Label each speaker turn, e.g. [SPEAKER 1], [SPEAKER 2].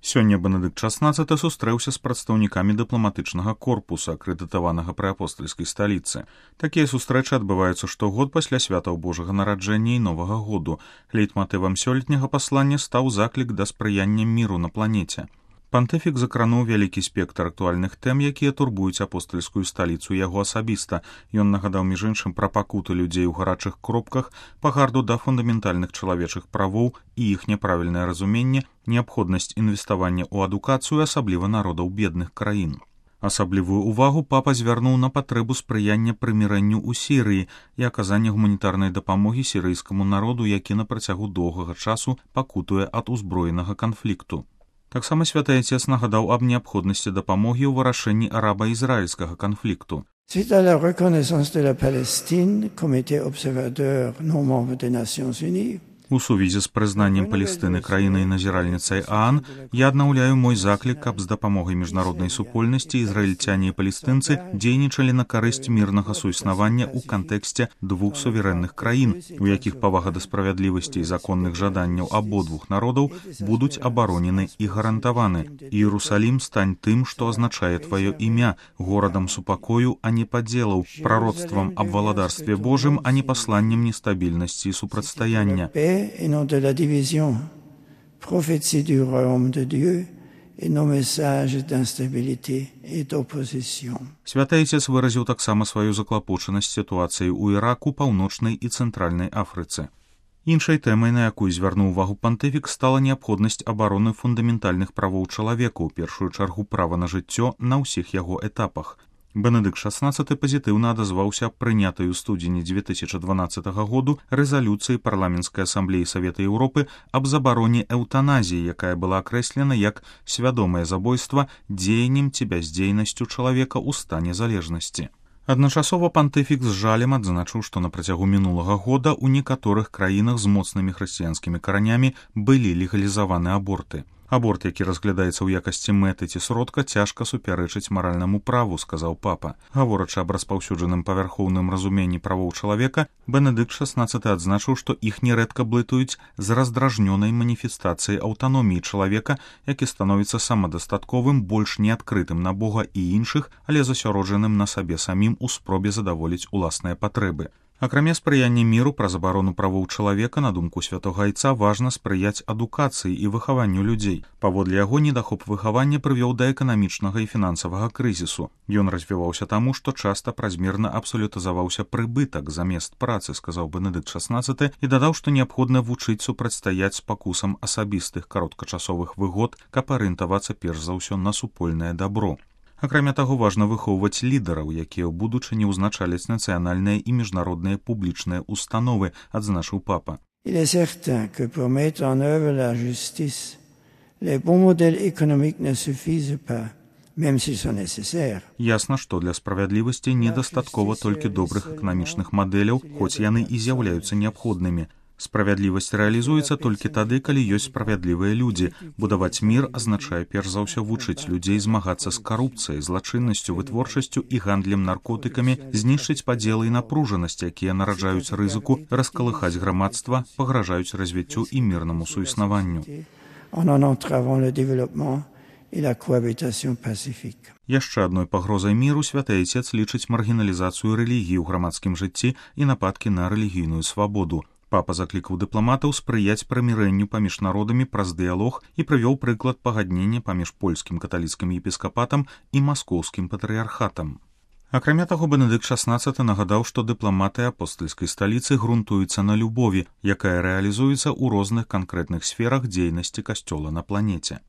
[SPEAKER 1] Сёння Бенедыкт XVI сустрэўся з прадстаўнікамі дыпламатычнага корпуса, акрэдытаванага пры апостальскай сталіцы. Такія сустрэчы адбываюцца штогод пасля святаў Божага нараджэння і Новага году. Лейтматывам сёлетняга паслання стаў заклік да спрыяння міру на планеце. Пантыфік закрануў вялікі спектр актуальных тэм, якія турбуюць апостальскую сталіцу яго асабіста. Ён нагадаў між іншым пра пакуты людзей у гарачых кропках, пагарду да фундаментальных чалавечых правоў і іх няправільнае разуменне, неабходнасць інвеставання ў адукацыю, асабліва народаў бедных краін. Асаблівую ўвагу папа звярнуў на патрэбу спрыяння прымірэнню ў Сірыі і аказання гуманітарнай дапамогі сірыйскаму народу, які на працягу доўгага часу пакутуе ад узброенага канфлікту. Таксама святы Отец нагадаў аб неабходнасці дапамогі ў вырашэнні араба-ізраільскага канфлікту.
[SPEAKER 2] Suite à la reconnaissance de la Palestine, Comité observateur non membre des Nations Unies,
[SPEAKER 1] У сувязі з прызнаннем Палестыны краінай-назіральніцай ААН я аднаўляю мой заклік, каб з дапамогай міжнароднай супольнасці ізраільцяне і палестынцы дзейнічалі на карысць мірнага суіснавання ў кантэксце двух суверэнных краін, у якіх павага да справядлівасці і законных жаданняў абодвух народаў будуць абаронены і гарантаваны. Іерусалім стань тым, што азначае тваё імя, горадам супакою, а не падзелаў, прароцтвам аб валадарстве Божым, а не пасланнем нестабільнасці і супрацьстаяння.
[SPEAKER 2] et non de la division, prophétie du royaume de Dieu et nos messages d'instabilité et d'opposition.
[SPEAKER 1] Святы Отец выразіў таксама сваю заклапочанасць сітуацыяй у Іраку, паўночнай і цэнтральнай Афрыцы. Іншай тэмай, на якую звярнуў увагу пантыфік, стала неабходнасць абароны фундаментальных правоў чалавека, у першую чаргу права на жыццё на ўсіх яго этапах. Бенедыкт XVI пазітыўна адазваўся аб прынятай у студзені 2012 году рэзалюцыі парламенцкай асамблеі Савета Еўропы аб забароне эўтаназіі, якая была акрэслена як свядомае забойства дзеяннем ці бяздзейнасцю чалавека ў стане залежнасці. Адначасова пантыфік з жалем адзначыў, што на працягу мінулага года ў некаторых краінах з моцнымі хрысціянскімі каранямі былі легалізаваны аборты. Аборт, які разглядаецца ў якасці мэты ці сродка, цяжка супярэчыць маральнаму праву, сказаў папа. Гаворачы аб распаўсюджаным павярхоўным разуменні правоў чалавека, Бенедыкт XVI адзначыў, што іх нерэдка блытаюць з раздражнёнай маніфестацыяй аўтаноміі чалавека, які становіцца самадастатковым, больш неадкрытым на Бога і іншых, але засяроджаным на сабе самім у спробе задаволіць уласныя патрэбы. Акрамя спрыяння міру праз абарону правоў чалавека, на думку святога Айца, важна спрыяць адукацыі і выхаванню людзей. Паводле яго, недахоп выхавання прывёў да эканамічнага і фінансавага крызісу. Ён развіваўся таму, што часта празмерна абсалютызаваўся прыбытак замест працы, сказаў Бенедыкт XVI, і дадаў, што неабходна вучыць супрацьстаяць спакусам асабістых кароткачасовых выгод, каб арыентавацца перш за ўсё на супольнае дабро. Акрамя таго, важна выхоўваць лідараў, якія ў будучыні ўзначаляць нацыянальныя і міжнародныя публічныя установы, адзначыў папа.
[SPEAKER 2] Il est certain que pour mettre en œuvre la justice, les bons modèles économiques ne suffisent pas, même s'ils sont nécessaires.
[SPEAKER 1] Ясна, што для справядлівасці недастаткова толькі добрых эканамічных мадэляў, хоць яны і з'яўляюцца неабходнымі. Справядлівасць рэалізуецца толькі тады, калі ёсць справядлівыя людзі. Будаваць мір азначае перш за ўсё вучыць людзей змагацца з карупцыяй, злачыннасцю, вытворчасцю і гандлем наркотыкамі, знішчыць падзелы і напружанасць, якія нараджаюць рызыку раскалыхаць грамадства, пагражаюць развіццю і мірнаму суіснаванню. Яшчэ адной пагрозай міру святы Отец лічыць маргіналізацыю рэлігіі ў грамадскім жыцці і нападкі на рэлігійную свабоду. Папа заклікаў дыпламатаў спрыяць прымірэнню паміж народамі праз дыялог і прывёў прыклад пагаднення паміж польскім каталіцкім епіскапатам і маскоўскім патрыярхатам. Акрамя таго, Бенедыкт XVI нагадаў, што дыпламаты апостальскай сталіцы грунтуюцца на любові, якая рэалізуецца ў розных канкрэтных сферах дзейнасці касцёла на планеце.